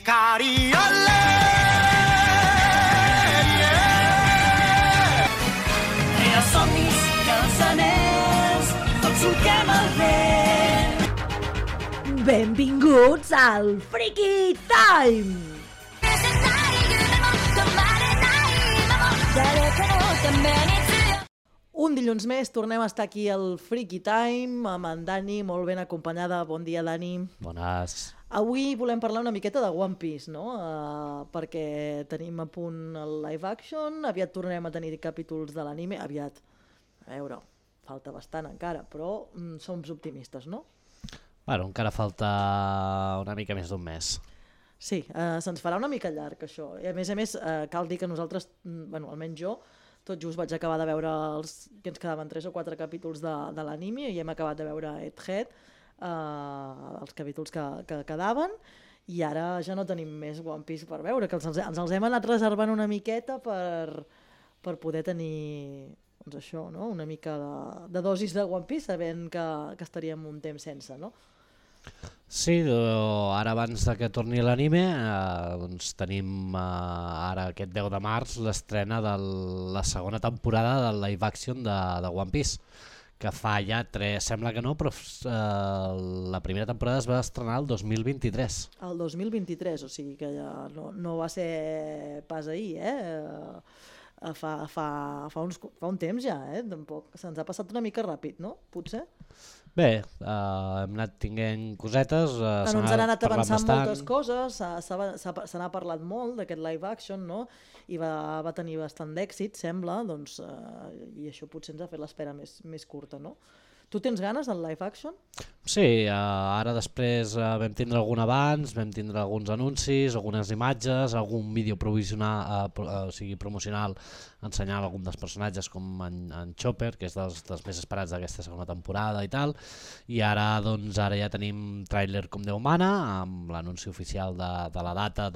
Cariole, Tria somnis, cançoners, tots solquem el vent. Benvinguts al Freaky Time! Un dilluns més tornem a estar aquí al Freaky Time amb en Dani, molt ben acompanyada. Bon dia, Dani. Bones. Avui volem parlar una miqueta de One Piece, no? Perquè tenim a punt el live action, aviat tornem a tenir capítols de l'anime, aviat. A veure, falta bastant encara, però som optimistes, no? Bueno, encara falta una mica més d'un mes. Sí, se'ns farà una mica llarg això. I a més, cal dir que nosaltres, bueno, almenys jo, tot just vaig acabar de veure que ens quedaven 3 o 4 capítols de l'anime i hem acabat de veure Egghead, els capítols que quedaven, i ara ja no tenim més One Piece per veure, que ens els hem anat reservant una miqueta per poder tenir doncs això, no? Una mica de dosis de One Piece, sabent que estaríem un temps sense, no? Sí, ara abans de que torni l'anime, doncs tenim ara aquest 10 de març l'estrena de la segona temporada del live action de One Piece, que fa ja 3, sembla que no, però la primera temporada es va estrenar el 2023. El 2023, o sigui que ja no va ser pas ahir, fa un temps ja, tampoc. Se'ns ha passat una mica ràpid, no? Potser? Bé, hem anat tinguent cosetes, ens han anat avançant bastant. moltes coses, se n'ha parlat molt d'aquest live action, no? I va tenir bastant d'èxit, sembla, doncs, i això potser ens ha fet l'espera més curta, no? Tu tens ganes del live action? Sí, ara després vam tindre algun abans, vam tindre alguns anuncis, algunes imatges, algun vídeo promocional ensenyant algun dels personatges com en Chopper, que és dels més esperats d'aquesta segona temporada i tal, i ara ja tenim tràiler com Déu mana, amb l'anunci oficial de la data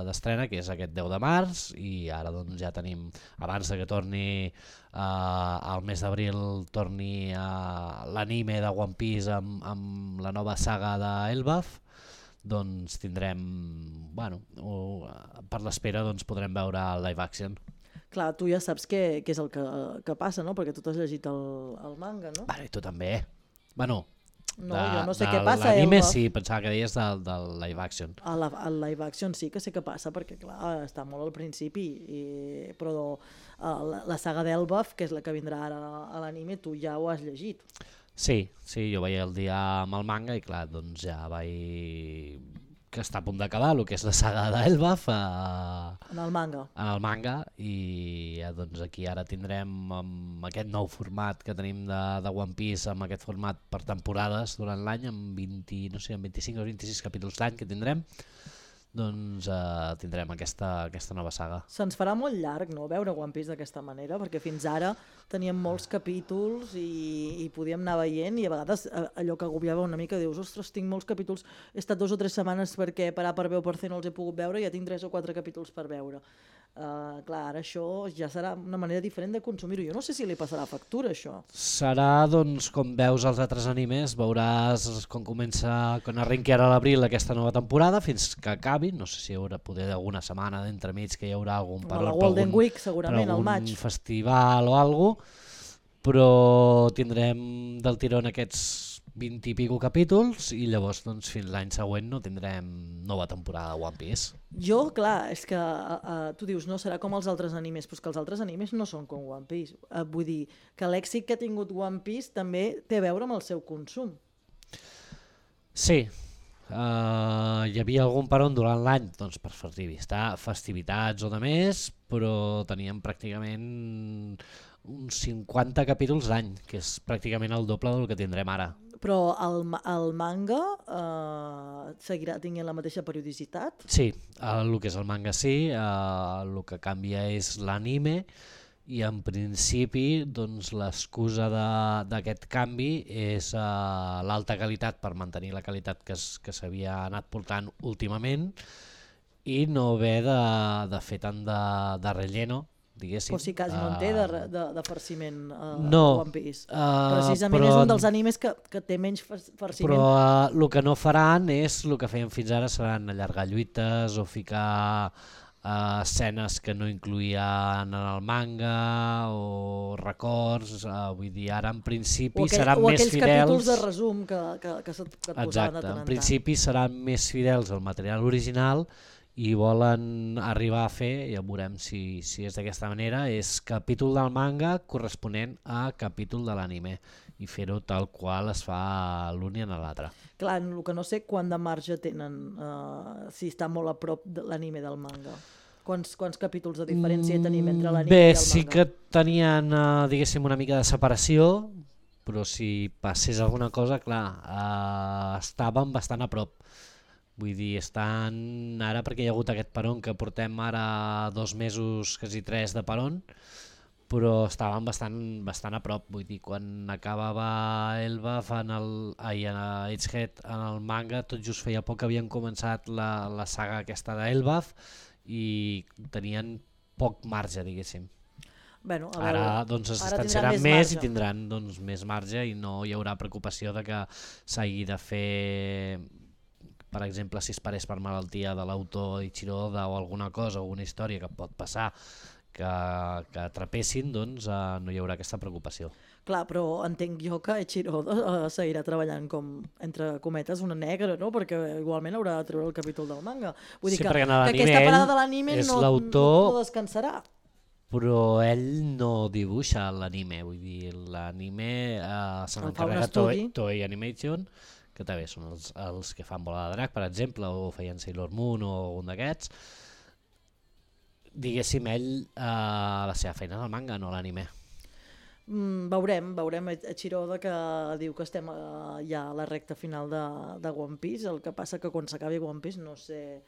d'estrena, que és aquest 10 de març, i ara doncs ja tenim, abans de que torni al mes d'abril, torni l'anime de One Piece amb la nova saga d'Elbaf, doncs tindrem, bueno, per l'espera doncs podrem veure el live action. Clar, tu ja saps què és el que passa, no? Perquè tu t'has llegit el manga, no? Bueno, i tu també. Bueno, no, jo no sé què passa. L'anime sí, pensava que deies del live action. El live action sí que sé què passa, perquè clar, està molt al principi, però la saga d'Elbaf, que és la que vindrà ara a l'anime, tu ja ho has llegit. Sí, jo veia el dia amb el manga i clar, doncs ja vaig... que està a punt d'acabar el que és la saga d'Elbaf en el manga, i doncs aquí ara tindrem amb aquest nou format que tenim de One Piece, amb aquest format per temporades durant l'any, amb 25 o 26 capítols l'any que tindrem, doncs tindrem aquesta nova saga. Se'ns farà molt llarg, no?, veure One Piece d'aquesta manera, perquè fins ara teníem molts capítols i podíem anar veient, i a vegades allò que agobiava una mica, dius, ostres, tinc molts capítols, he estat 2 o 3 setmanes perquè per A per B o per C no els he pogut veure, i ja tinc 3 o 4 capítols per veure. Clar, ara això ja serà una manera diferent de consumir-ho. Jo no sé si li passarà factura, això. Serà, doncs, com veus els altres animes, veuràs quan arrenqui ara a l'abril aquesta nova temporada, fins que acabi, no sé si hi haurà poder alguna setmana d'entremig que hi haurà algun la Golden Week, segurament, al maig. Un festival o alguna cosa, però tindrem del tirón aquests 20 i pico capítols i llavors doncs, fins l'any següent no tindrem nova temporada de One Piece. Jo, clar, és que tu dius no serà com els altres animes, però és que els altres animes no són com One Piece. Vull dir que l'èxit que ha tingut One Piece també té a veure amb el seu consum. Sí, hi havia algun peron durant l'any doncs, per festivitats o de més, però teníem pràcticament uns 50 capítols l'any, que és pràcticament el doble del que tindrem ara. Però el manga seguirà tenint la mateixa periodicitat? Sí, el que és el manga sí, el que canvia és l'anime, i en principi doncs, l'excusa d'aquest canvi és l'alta qualitat, per mantenir la qualitat que s'havia anat portant últimament, i no haver de fer tant de relleno diguéssim. O sigui, quasi no en té de farciment no, One Piece. Precisament és un dels animes que té menys farciment. Però el que no faran és el que feien fins ara, seran allargar lluites o ficar escenes que no incluïen en el manga o records, vull dir, ara en principi seran més fidels... O aquells capítols de resum que et posaven de tant en tant. Exacte, en principi seran més fidels al material original i volen arribar a fer, ja veurem si és d'aquesta manera, és capítol del manga corresponent a capítol de l'anime i fer-ho tal qual es fa l'un i en l'altre. Clar, el que no sé quant de marge tenen, si està molt a prop de l'anime del manga. Quants capítols de diferència tenim entre l'anime i el manga? Bé, sí que tenien, diguéssim, una mica de separació, però si passés alguna cosa, clar, estaven bastant a prop. Vull dir, estan ara, perquè hi ha hagut aquest peron que portem ara 2 mesos, quasi 3 de peron, però estaven bastant a prop. Vull dir, quan acabava Elbaf a Egghead en el manga, tot just feia poc que havien començat la saga aquesta d'Elbaf i tenien poc marge, diguéssim. Bueno, ara doncs es distanciaran més i tindran doncs, més marge i no hi haurà preocupació de que s'hagi de fer, per exemple, si es parés per malaltia de l'autor Ichiro Oda o alguna cosa o una història que pot passar que atrapessin, doncs no hi haurà aquesta preocupació. Clar, però entenc jo que Ichiro Oda seguirà treballant com, entre cometes, una negra, no? Perquè igualment haurà de treure el capítol del manga. Vull dir que aquesta parada de l'anime no descansarà. Però ell no dibuixa l'anime, vull dir, l'anime se n'encarrega Toei Animation, que també són els que fan Bola de Drac, per exemple, o feien Sailor Moon o un d'aquests. Diguéssim, ell la seva feina és el manga, no l'anime. Veurem Ichiro Oda que diu que estem ja a la recta final de One Piece, el que passa que quan s'acabi One Piece no sé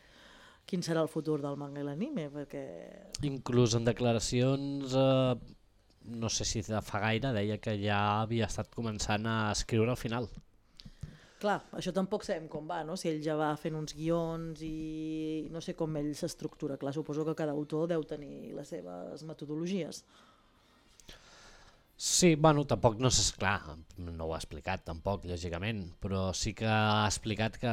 quin serà el futur del manga i l'anime, perquè... Inclús en declaracions, no sé si de fa gaire, deia que ja havia estat començant a escriure al final. Clar, això tampoc sabem com va, no? Si ell ja va fent uns guions i no sé com ell s'estructura. Clar, suposo que cada autor deu tenir les seves metodologies. Sí, bueno, tampoc no sé, clar, no ho ha explicat tampoc, lògicament, però sí que ha explicat que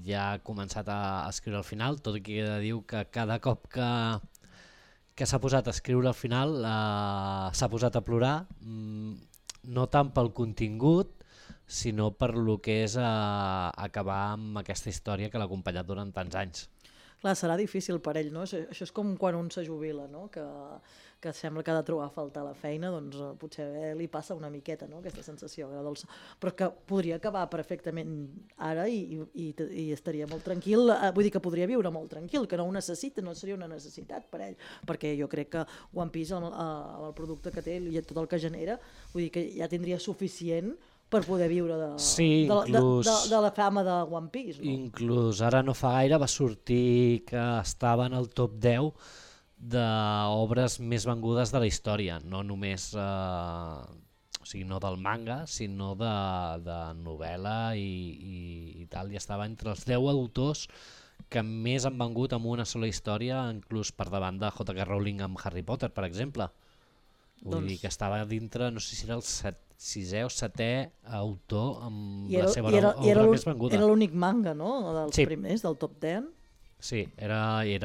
ja ha començat a escriure al final, tot i que diu que cada cop que s'ha posat a escriure al final s'ha posat a plorar, no tant pel contingut, sinó per lo que és acabar amb aquesta història que l'ha acompanyat durant tants anys. Clar, serà difícil per ell, no? Això és com quan un se jubila, no? Que sembla que ha de trobar a faltar la feina, doncs potser li passa una miqueta, no? Aquesta sensació agradolça. Però que podria acabar perfectament ara i estaria molt tranquil, vull dir que podria viure molt tranquil, que no ho necessita, no seria una necessitat per ell, perquè jo crec que One Piece, el producte que té i tot el que genera, vull dir que ja tindria suficient per poder viure de la fama de One Piece. No? Inclús ara no fa gaire va sortir que estava en el top 10 d'obres més vengudes de la història, no només o sigui, no del manga, sinó de novel·la i tal, i estava entre els 10 autors que més han vengut amb una sola història, inclús per davant de J.K. Rowling amb Harry Potter, per exemple. Vull dir que estava dintre, no sé si era el 6è o 7è autor amb la seva obra més venguda. Era l'únic manga, no?, dels primers, del top 10. Sí, els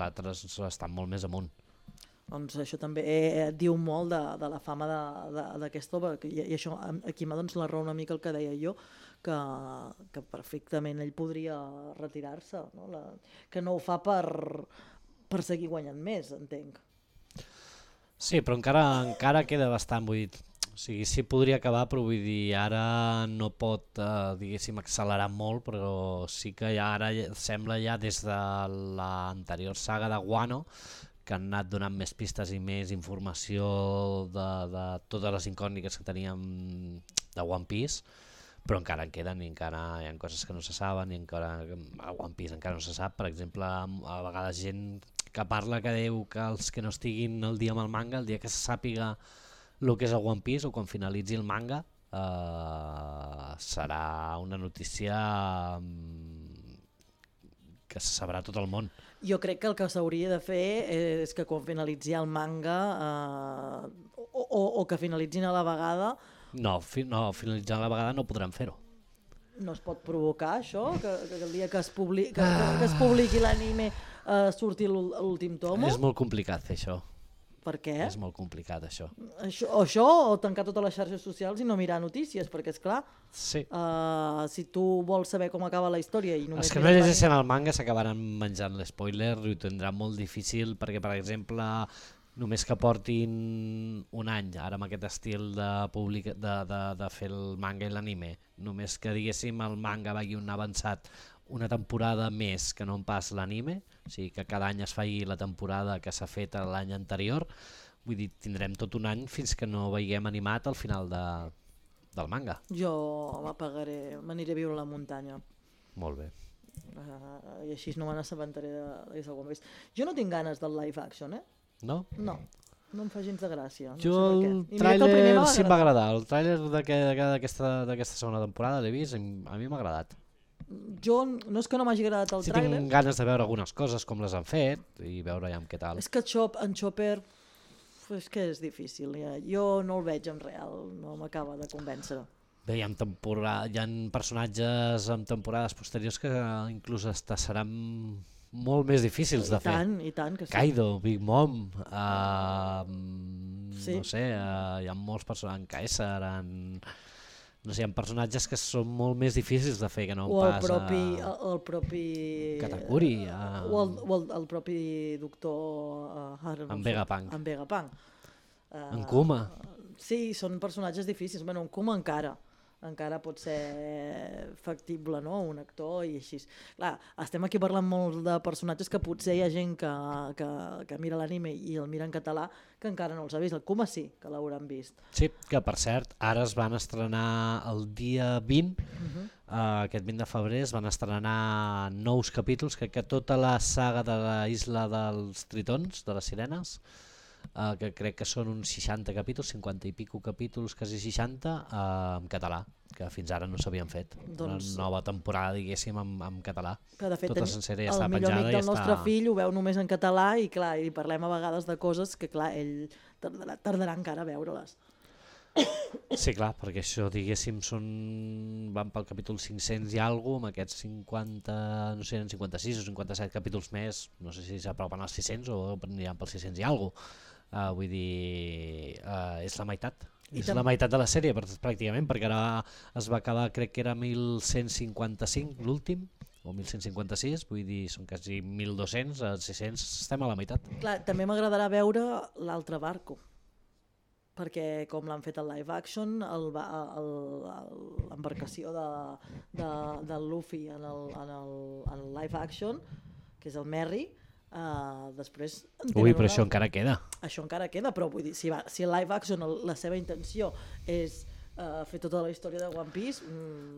altres estan molt més amunt. Doncs això també diu molt de la fama d'aquest home, i això aquí m'ha la raó una mica el que deia jo, que perfectament ell podria retirar-se, no? Que no ho fa per seguir guanyant més, entenc. Sí, però encara queda bastant, vull dir, o sigui, sí podria acabar, però vull dir, ara no pot, diguéssim, accelerar molt, però sí que ara sembla ja des de l'anterior saga de Wano que han anat donant més pistes i més informació de totes les incògnites que teníem de One Piece, però encara en queden i encara hi ha coses que no se saben i encara a One Piece encara no se sap. Per exemple, a vegades gent que parla que diu que els que no estiguin al dia amb el manga, el dia que se sàpiga el que és el One Piece o quan finalitzi el manga, serà una notícia que se sabrà tot el món. Jo crec que el que s'hauria de fer és que quan finalitzi el manga o que finalitzin a la vegada. No, finalitzant a la vegada no podran fer-ho. No es pot provocar això? Que el dia que es publiqui l'anime surti l'últim tomo? És molt complicat fer això. Per què? És molt complicat això. Això o tancar totes les xarxes socials i no mirar notícies, perquè és clar, Sí. si tu vols saber com acaba la història i només... Els que no llegeixen el manga s'acabaran menjant l'espoiler i ho tindran molt difícil perquè, per exemple, només que portin un any, ara amb aquest estil de fer el manga i l'anime, només que diguéssim el manga vagi un avançat una temporada més que no en pas l'anime, o sigui que cada any es faci la temporada que s'ha fet l'any anterior, vull dir, tindrem tot un any fins que no veiem animat al final del manga. Jo m'aniré a viure a la muntanya. Molt bé. I així no me n'assabentaré de One Piece. Jo no tinc ganes del live action, No? No em fa gens de gràcia. Jo el tràiler sí em va agradar, el tràiler d'aquesta segona temporada l'he vist i a mi m'ha agradat. Jo no és que no m'hagi agradat el Sí, tràiler. tinc ganes de veure algunes coses, com les han fet, i veure ja què tal. És que en Chopper és que és difícil. Jo no el veig en real, no m'acaba de convèncer. Bé, hi ha personatges en temporades posteriors que inclús seran molt més difícils de fer. I tant que sí. Kaido, Big Mom, Sí. no sé, hi ha molts personatges, en Caesar, no sé, hi ha personatges que són molt més difícils de fer que no O pas el propi Katakuri, o el propi doctor en Vegapunk. En Vegapunk. En Kuma. Sí, són personatges difícils. Bueno, en Kuma encara pot ser factible, no? Un actor i així. Clar, estem aquí parlant molt de personatges que potser hi ha gent que mira l'anime i el mira en català que encara no els ha vist. El Kuma sí, que l'hauran vist. Sí, que per cert, ara es van estrenar el dia 20, aquest 20 de febrer es van estrenar nous capítols, crec que tota la saga de la Isla dels Tritons, de les Sirenes, que crec que són uns 60 capítols, 50 i pico capítols, quasi 60, en català, que fins ara no s'havien fet. Doncs, una nova temporada, diguéssim, en català. Que de fet tota sencera ja està el millor penjada amic i del nostre fill ho veu només en català i clar, i parlem a vegades de coses que clar, ell tardarà encara a veure-les. Sí, clar, perquè això, diguéssim, van pel capítol 500 i alguna amb aquests 50, no sé, 56 o 57 capítols més, no sé si s'apropen als 600 o aniran pels 600 i alguna. Vull dir, és la meitat. És la meitat de la sèrie, pràcticament, perquè ara es va acabar, crec que era 1155 l'últim, o 1156, vull dir, són quasi 1200, a 600 estem a la meitat. Clar, també m'agradarà veure l'altre barco, perquè com l'han fet el live action, l'embarcació del Luffy en el live action, que és el Merry, després Ui, però això encara queda. Això encara queda, però vull dir, si el live action la seva intenció és fer tota la història de One Piece...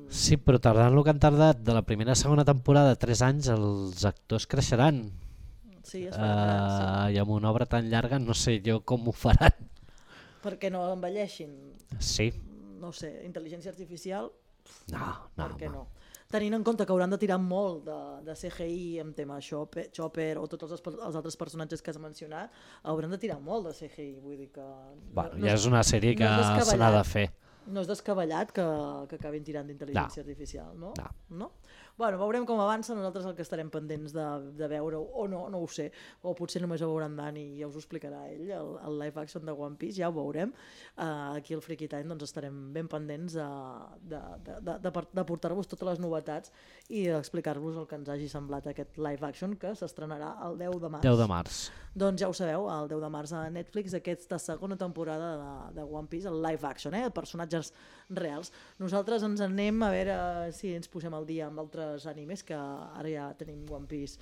Sí, però tardant el que han tardat de la primera a segona temporada, 3 anys, els actors creixeran. Sí, es faran, I amb una obra tan llarga no sé jo com ho faran. Perquè no envelleixin. Sí. No sé, intel·ligència artificial... No. Per què no? Tenint en compte que hauran de tirar molt de CGI en tema Chopper o tots els altres personatges que has mencionat, hauran de tirar molt de CGI, vull dir que... Ja és una sèrie que se n'ha de fer. No és descabellat que acabin tirant d'intel·ligència artificial, no? No? Bueno, veurem com avança, nosaltres el que estarem pendents de veure, o no ho sé, o potser només ho veurà en Dani i ja us ho explicarà ell, el live action de One Piece, ja ho veurem. Aquí al Freaky Time doncs, estarem ben pendents de portar-vos totes les novetats i d'explicar-vos el que ens hagi semblat aquest live action que s'estrenarà el 10 de març. 10 de març. Doncs ja ho sabeu, el 10 de març a Netflix, aquesta segona temporada de One Piece, el live action, personatges reals. Nosaltres ens anem a veure si ens posem al dia amb altres animes, que ara ja tenim One Piece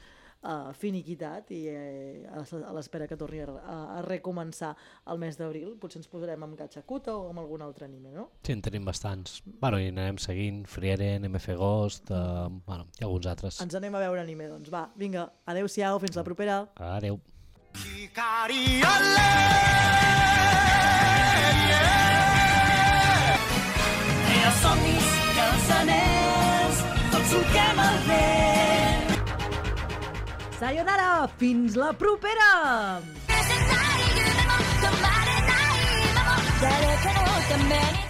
finiquitat i a l'espera que torni a recomençar el mes d'abril. Potser ens posarem amb Gachakuta o amb algun altre anime, no? Sí, en tenim bastants. Bueno, i anarem seguint Frieren, MF Ghost, i alguns altres. Ens anem a veure anime, doncs. Va, vinga, adeu-siau, fins la propera. Adeu. Els somnis i els anells, tots solquem el vent. Sayonara, fins la propera! 誰かのために